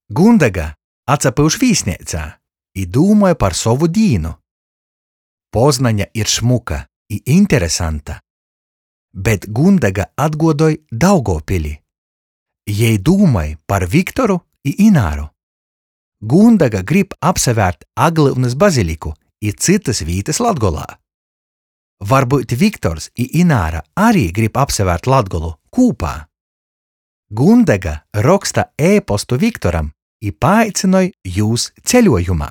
Gundega atsapyuš vīsneicā i dūmoj par sovu dīnu. Poznaņa ir šmuka i interesanta, bet Gundega atguodoj Daugovpili. Jei dūmoj par Viktoru i Ināru. Gundega grib apsavērt Aglyunys baziliku i cytys vītys Latgolā. Varbyut Viktors i Ināra ari grib apsavērt Latgolu kūpā? Gundega roksta e-postu Viktoram i paaicynoj jūs ceļuojumā.